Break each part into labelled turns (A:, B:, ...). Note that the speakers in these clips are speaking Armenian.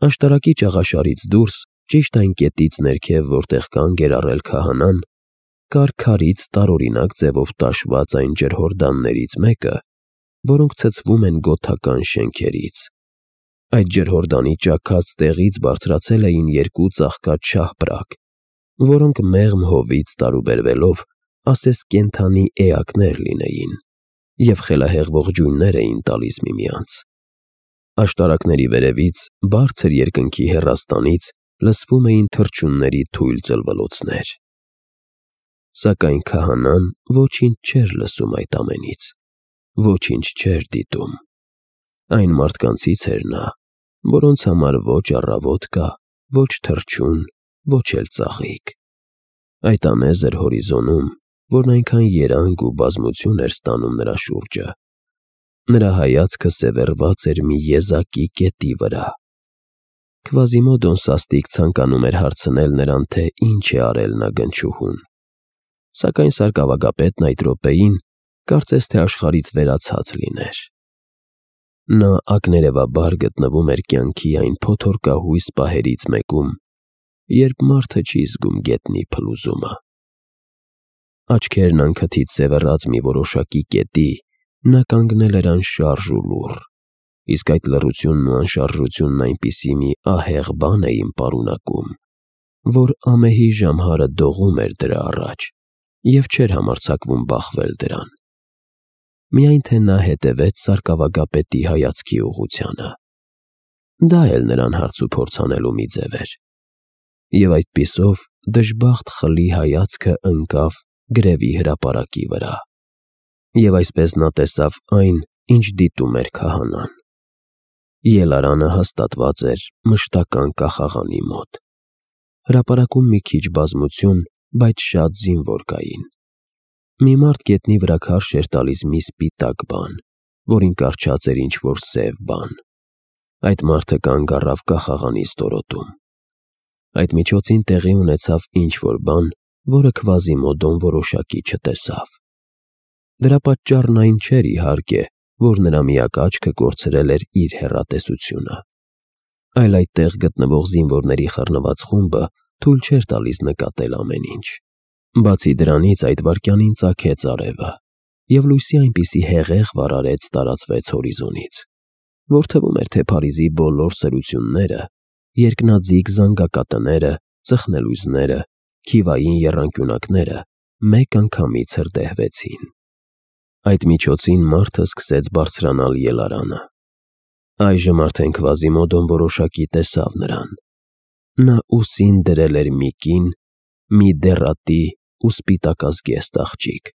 A: Աշտարակի ճաղաշարից դուրս, ճիշտ այն կետից ներքև, որտեղ կանգ էր առել քահանան, կար քարից տարօրինակ ձևով տաշված այն ջրհորդաններից մեկը, որոնք ցցվում են գոթական շենքերից։ Այդ ջրհորդանի ճաքած տեղից բարձրացել էին երկու ծաղկած շահպրակ, որոնք մեղմ հովից տարուբերվելով ասես կենդանի էակներ լինեին և խելահեղ ողջույններ էին տալիս միմյանց։ Աշտարակների վերևից, բարձր երկնքի հեռաստանից լսվում էին թռչունների թույլ ծլվլոցներ։ Սակայն քահանան ոչինչ չէր լսում այդ ամենից, ոչինչ չէր դիտում։ Այն մարդկանցից էր նա, որոնց համար ոչ առավոտ կա, ոչ թռչուն, ոչ էլ ծաղիկ։ Այդ անեզր հորիզոնում, որն այնքան երանգ ու բազմություն էր ստանում նրա շուրջը, նրա հայացքը սևեռված էր մի եզակի կետի վրա։ Քվազիմոդոն սաստիկ ցանկանում էր հարցնել նրան, թե ինչ է արել նա գնչուհուն, սակայն սարկավագապետն այդ րոպեին կարծես թե աշխարհից վերացած լիներ։ Նա ակներևաբար գտնվում էր կյանքի այն փոթորկահույս պահերից մեկում, երբ մարդը չի զգում գետնի փլուզումը։ Աչքերն անքթից սևեռած մի որոշակի կետի, նա կանգնել էր անշարժ ու լուռ, իսկ այդ լռությունն ու անշարժությունն այնպիսի մի ահեղ բան էին պարունակում, որ ամեհի ժամհարը դողում էր դրա առաջ և չէր համարձակվում բախվել դրան։ Միայն թե նա հետևեց սարկավագապետի հայացքի ուղղությանը։ Դա էլ նրան հարց ու փորձ անելու մի ձև էր։ Եվ այդպիսով դժբախտ խլի հայացքը ընկավ գրևի հրապարակի վրա։ Եվ այսպես նա տեսավ այն, ինչ դիտում էր քահանան։ Ելարանը հաստատված էր մշտական կախաղանի մոտ։ Հրապարակում մի քիչ բազմություն, բայց շատ զինվոր կային։ Մի մարդ գետնի վրա քարշ էր տալիս մի սպիտակ բան, որին կառչած էր ինչ-որ սև բան։ Այդ մարդը կանգ առավ կախաղանի ստորոտում։ Այդ միջոցին տեղի ունեցավ ինչ-որ բան, որը Քվազիմոդոն որոշակի չտեսավ։ Դրա պատճառն այն չէր, իհարկե, որ նրա միակ աչքը կորցրել էր իր հեռատեսությունը, այլ այդտեղ գտնվող զինվորների խռնված խումբը թույլ չէր տալիս նկատել ամեն ինչ։ Բացի դրանից այդ վայրկյանին ծագեց արևը, և լույսի այնպիսի հեղեղ վառարեց տարածվեց հորիզոնից, որ թվում էր, թե Փարիզի բոլոր սրությունները, երկնաձիգ զանգակատները, ծխնելույզները, քիվային եռանկյունակները մեկ անգամից հրդեհվեցին։ Այդ միջոցին մարդը սկսեց բարձրանալ ելարանը։ Այժմ արդեն Քվազիմոդոն որոշակի տեսավ նրան։ Նա ուսին դրել էր մի կին, մի դեռատի ու սպիտակազգեստ աղջիկ։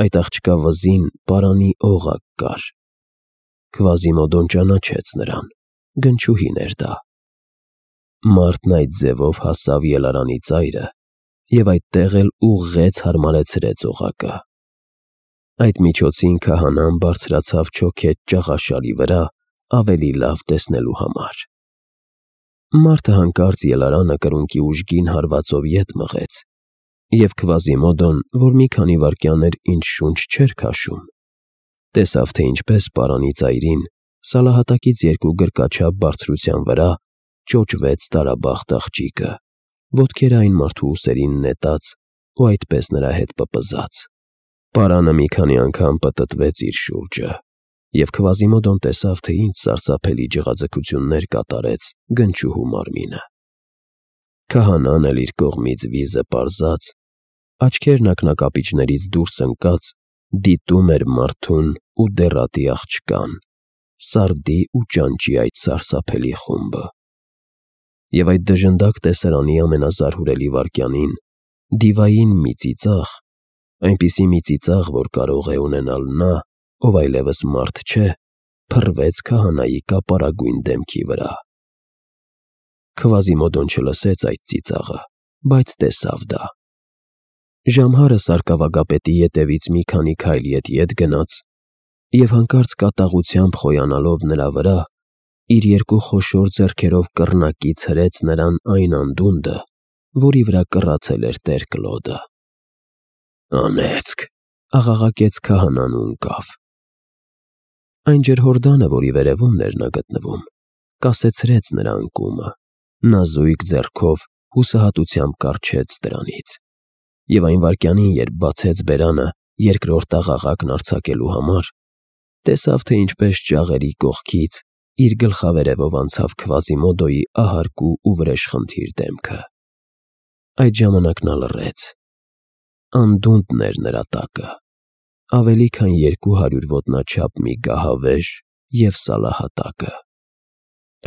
A: Այդ աղջկա վզին պարանի օղակ կար։ Քվազիմոդոն ճանաչեց նրան, գնչուհին էր դա։ Մարդն այդ ձևով հասավ ելարանի ծայրը և այդտեղ էլ ուղղեց հարմարեցրեց օղակը։ Այդ միջոցին քահանան բարձրացավ չոքետ ճաղաշարի վրա ավելի լավ տեսնելու համար։ Մարդը հանկարծ ելարանը կրունկի ուժգին հարվածով ետ մղեց, և Քվազիմոդոն, որ մի քանի վայրկյան էր ինչ շունչ չէր քաշում, տեսավ, թե ինչպես պարանի ծայրին, սալահատակից 2 գրկաչափ բարձրության վրա ճոճվեց տարաբախտ աղջիկը, ոտքերը այն մարդու ուսերին նետած ու այդպես նրա հետ պպզած։ Պարանը մի քանի անգամ պտտվեց իր շուրջը, և Քվազիմոդոն տեսավ, թե ինչ սարսափելի ջղաձգություններ կատարեց գնչուհու մարմինը։ Քահանան էլ իր կողմից վիզը պարզած, աչքերն ակնակապիճներից դուրս ընկած, դիտում էր մարդուն ու դեռատի աղջկան, սարդի ու ճանճի այդ սարսափելի խումբը։ Եվ այդ դժնդակ տեսարանի ամենազարհուրելի վայրկյանին դիվային մի ծիծաղ, այնպիսի մի ծիծաղ, որ կարող է ունենալ նա, ով այլևս մարդ չէ, փռվեց քահանայի կապարագույն դեմքի վրա։ Քվազիմոդոն չլսեց այդ ծիծաղը, բայց տեսավ դա։ Ժամհարը սարկավագապետի ետևից մի քանի քայլ ետ գնաց և հանկարծ կատաղությամբ խոյանալով նրա վրա, իր 2 խոշոր ձեռքերով կռնակից հրեց նրան այն անդունդը, որի վրա կռացել էր տեր Կլոդը։ «Անեծք», աղաղակեց քահանան ու ընկավ։ Այն ջրհորդանը, որի վերևում էր նա գտնվում, կասեցրեց նրա անկումը, նա զույգ ձեռքով հուսահատությամբ կառչեց դրանից, և այն վայրկյանին, երբ բացեց բերանը երկրորդ աղաղակն արձակելու համար, տեսավ, թե ինչպես ճաղերի կողքից իր գլխավերևով անցավ Քվազիմոդոյի ահարկու ու վրեժխնդիր դեմքը։ Այդ ժամանակ նա լռեց։ Անդունդն էր նրա տակը, ավելի քան 200 ոտնաչափ մի գահավեժ և սալահատակը։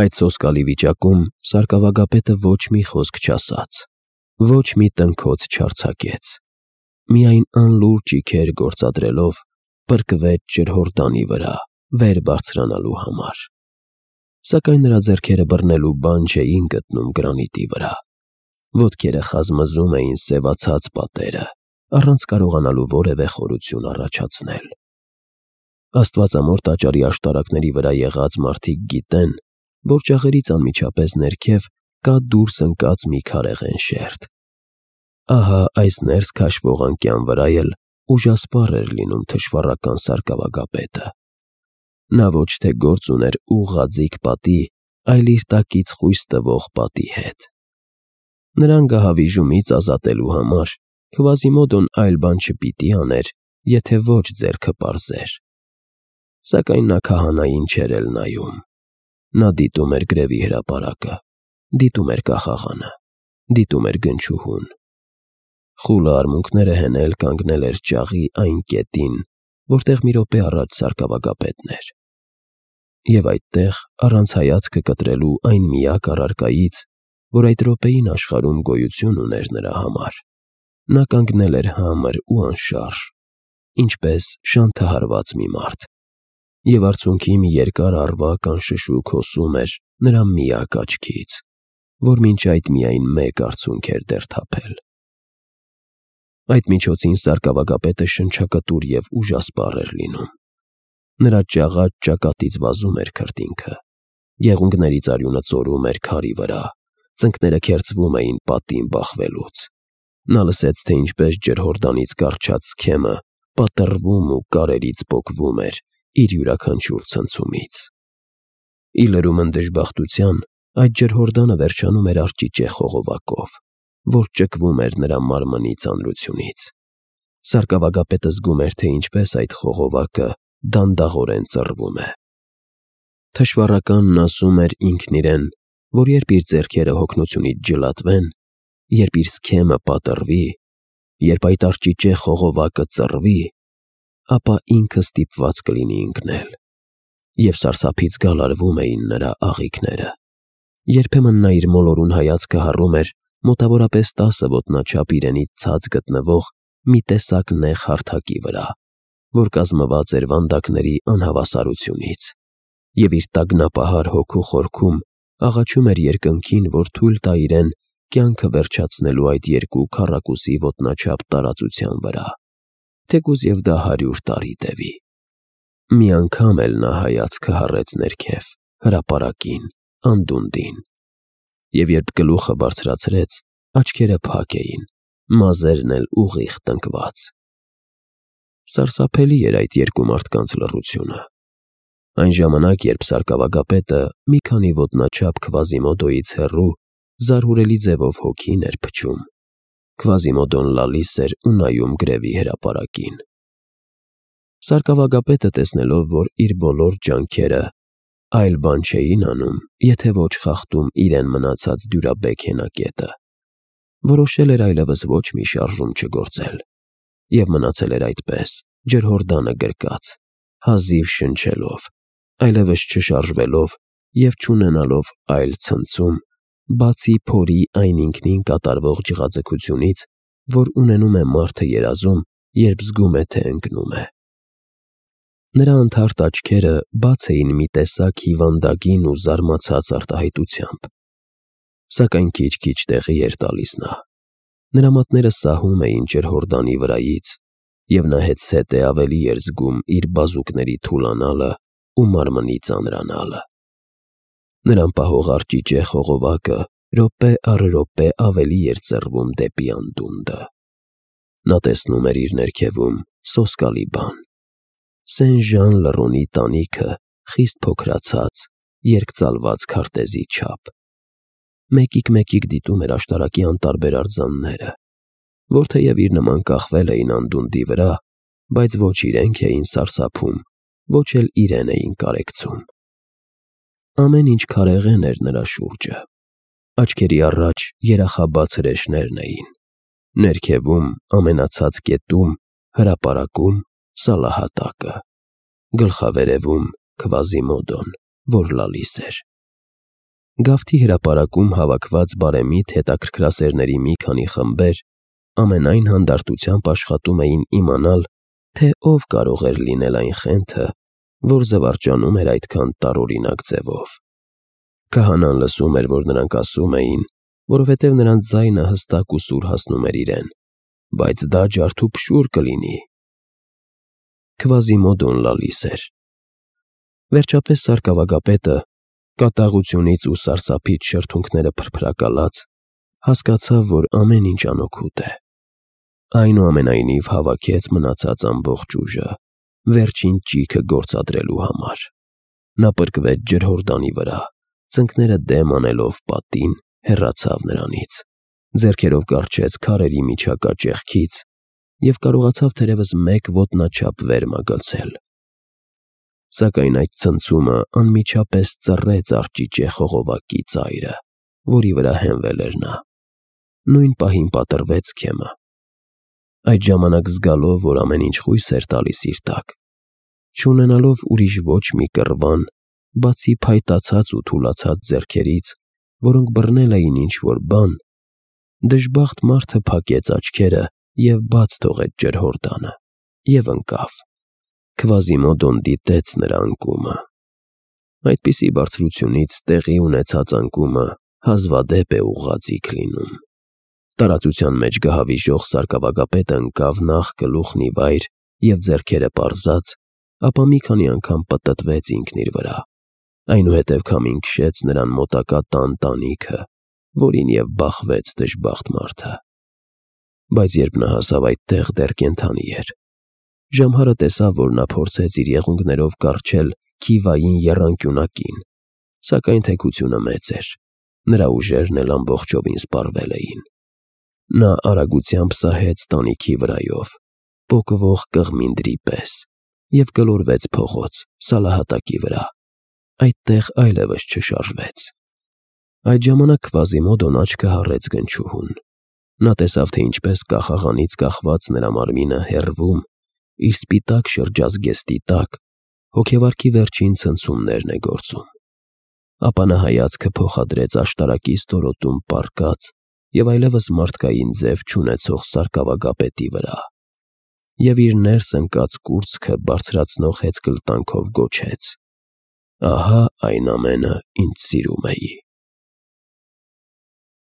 A: Այդ սոսկալի վիճակում սարկավագապետը ոչ մի խոսք չասաց, ոչ մի տնքոց չարձակեց, միայն անլուռ ճիգեր գործադրելով պրկվեց ջրհորդանի վրա վեր բարձրանալու համար։ Սակայն նրա ձեռքերը բռնելու բան չէին գտնում գրանիտի վրա, ոտքերը խազմզում էին սևացած պատերը, առանց կարողանալու որևէ խորություն առաջացնել։ Աստվածամոր տաճարի աշտարակների վրա եղած մարդիկ գիտեն, որ ճաղերից անմիջապես ներքև կա դուրս ընկած մի քարեղեն շերտ։ Ահա այս ներս քաշվող անկյան վրա էլ ուժասպառ էր լինում թշվառական սարկավագապետը։ Նա ոչ թե գործ ուներ ուղղաձիգ պատի, այլ իր տակից խույս տվող պատի հետ։ Նրան գահավիժումից ազատելու համար Քվազիմոդոն այլ բան չպիտի աներ, եթե ոչ ձեռքը պարզեր։ Սակայն նա քահանային չէր էլ նայում։ Նա դիտում էր գրևի հրապարակը, դիտում էր կախաղանը, դիտում էր գնչուհուն։ Խուլը արմունկները հենել կանգնել էր ճաղի այն կետին, որտեղ մի րոպե առաջ սարկավագապետն էր։ Եվ այդտեղ, առանց հայացքը կտրելու այն միակ առարկայից, որ այդ րոպեին աշխարհում գոյություն ուներ նրա համար, նա կանգնել էր համր ու անշարժ, ինչպես շանթահարված մի մարդ, և արցունքի մի երկար առվակ անշշուկ հոսում էր նրա միակ աչքից, որ մինչ այդ միայն մեկ արցունք էր դեռ թափել։ Այդ միջոցին սարկավագապետը շնչակտուր և ուժասպառ էր լինում։ Նրա ճաղած ճակատից վազում էր քրտինքը, եղունգներից արյունը ծորում էր քարի վրա, ծնկները քերծվում էին պատին բախվելուց։ Նա լսեց, թե ինչպես ջրհորդանից կառչած սքեմը պատռվում ու կարերից պոկվում էր իր յուրաքանչյուր ցնցումից։ Ի լրումն դժբախտության, այդ ջրհորդանը վերջանում էր արճիճե խողովակով, որ ճկվում էր նրա մարմնի ծանրությունից։ Սարկավագապետը զգում էր, թե ինչպես այդ խողովակը դանդաղորեն ծռվում է։ Թշվառականն ասում էր ինքն իրեն, որ երբ իր ձեռքերը հոգնությունից ջլատվեն, երբ իր սքեմը պատռվի, երբ այդ արճիճե խողովակը ծռվի, ապա ինքը ստիպված կլինի ընկնել։ Եվ սարսափից գալարվում էին նրա աղիքները։ Երբեմն նա իր մոլորուն հայացքը հառում էր մոտավորապես 10 ոտնաչափ իրենից ցած գտնվող մի տեսակ նեղ հարթակի վրա, որ կազմված էր վանդակների անհավասարությունից, և իր տագնապահար հոգու խորքում աղաչում էր երկնքին, որ թույլ տա իրեն կյանքը վերջացնելու այդ երկու քառակուսի ոտնաչափ տարածության վրա, թեկուզ և դա 100 տարի տևի։ Մի անգամ էլ նա հայացքը հառեց ներքև, հրապարակին, անդունդին, և երբ գլուխը բարձրացրեց, աչքերը փակ էին, մազերն էլ ուղիղ տնկված։ Սարսափելի էր այդ երկու մարդկանց լռությունը։ Այն ժամանակ, երբ սարկավագապետը մի քանի ոտնաչափ Քվազիմոդոյից հեռու զարհուրելի ձևով հոգին էր փչում, Քվազիմոդոն լալիս էր ու նայում գրևի հրապարակին։ Սարկավագապետը, տեսնելով, որ իր բոլոր ջանքերը այլ բան չէին անում, եթե ոչ խախտում իրեն մնացած դյուրաբեկ հենակետը, որոշել էր այլևս ոչ մի շարժում չգործել, և մնացել էր այդպես, ջրհորդանը գրկած, հազիվ շնչելով, այլևս չշարժվելով և չունենալով այլ ցնցում, բացի փորի այն ինքնին կատարվող ջղաձգությունից, որ ունենում է մարդը երազում, երբ զգում է, թե ընկնում է։ Նրա անթարթ աչքերը բաց էին մի տեսակ հիվանդագին ու զարմացած արտահայտությամբ, սակայն քիչ-քիչ տեղի էր տալիս նա։ Նրա մատները սահում էին ջրհորդանի վրայից, և նա հետզհետե ավելի էր զգում իր բազուկների թուլանալը ու մարմնի ծանրանալը։ Նրան պահող արճիճե խողովակը րոպե առ րոպե ավելի էր ծռվում դեպի անդունդը։ Նա տեսնում էր իր ներքևում սոսկալի բան։ Սեն Ժան Լռոնի տանիքը խիստ փոքրացած, երկծալված քարտեզի չափ։ Մեկիկ դիտում էր աշտարակի անտարբեր արձանները, որ թեև իր նման կախվել էին անդունդի վրա, բայց ոչ իրենք էին սարսափում, ոչ էլ իրեն էին կարեկցում։ Ամեն ինչ քարեղեն էր նրա շուրջը։ Աչքերի առաջ երախաբաց հրեշներն էին, ներքևում, ամենացած կետում, հրապարակում Սալահատակը, գլխավերևում Քվազիմոդոն, որ լալիս էր։ Գավթի հրապարակում հավաքված բարեմիտ հետաքրքրասերների մի քանի խմբեր ամենայն հանդարտությամբ աշխատում էին իմանալ, թե ով կարող էր լինել այն խենթը, որ զվարճանում էր այդքան տարօրինակ ձևով։ Քահանան լսում էր, որ նրանք ասում էին, որովհետև նրանց ձայնը հստակ ու սուր հասնում էր իրեն, բայց դա ջարդուփշուր կլինի։ Քվազիմոդոն լալիս էր։ Վերջապես սարկավագապետը, կատաղությունից ու սարսափից շրթունքները փրփրակալած, հասկացավ, որ ամեն ինչ անօգուտ է։ Այնուամենայնիվ հավաքեց մնացած ամբողջ ուժը վերջին ճիգը գործադրելու համար։ Նա պրկվեց ջրհորդանի վրա, ծնկները դեմ անելով պատին, հեռացավ նրանից, ձեռքերով կառչեց քարերի միջակա ճեղքից և կարողացավ թերևս մեկ ոտնաչափ վեր մագլցել։ Սակայն այդ ցնցումը անմիջապես ծռեց արճիճե խողովակի ծայրը, որի վրա հենվել էր նա։ Նույն պահին պատռվեց քեմը։ Այդ ժամանակ զգալով, որ ամեն ինչ խույս էր տալիս իր տակ, չունենալով ուրիշ ոչ մի կռվան, բացի փայտացած ու թուլացած ձեռքերից, որոնք բռնել էին ինչ-որ բան, դժբախտ մարդը փակեց աչքերը և բաց թողեց ջրհորդանը և ընկավ։ Քվազիմոդոն դիտեց նրա անկումը։ Այդպիսի բարձրությունից տեղի ունեցած անկումը հազվադեպ է ուղղաձիգ լինում։ Տարածության մեջ գահավիժող սարկավագապետը ընկավ նախ գլուխն ի վայր և ձեռքերը պարզած, ապա մի քանի անգամ պտտվեց ինքն իր վրա, այնուհետև քամին քշեց նրան մոտակա տան տանիքը, որին և բախվեց դժբախտ մարդը։ Բայց երբ նա հասավ այդտեղ, դեռ կենդանի էր։ Ժամհարը տեսավ, որ նա փորձեց իր եղունգներով կառչել Քիվային եռանկյունակին, սակայն թեքությունը մեծ էր, նրա ուժերն էլ ամբողջովին սպառվել էին։ Նա արագությամբ սահեց տանիքի վրայով, պոկվող կղմինդրի պես, և գլորվեց փողոց, Սալահատակի վրա։ Այդտեղ այլևս չշարժվեց։ Այդ ժամանակ Քվազիմոդոն աչքը հառեց գնչուհուն։ Նա տեսավ, թե ինչպես կախաղանից կախված նրա մարմինը հեռվում, իր սպիտակ շրջազգեստի տակ, հոգեվարքի վերջին ցնցումներն է գործում։ Ապա նա հայացքը փոխադրեց աշտարակի ստորոտում պառկած և այլևս մարդկային ձև չունեցող սարկավագապետի վրա, և իր ներս ընկած կուրծքը բարձրացնող հեծկլտանքով գոչեց. «Ահա այն ամենը, ինչ սիրում էի»։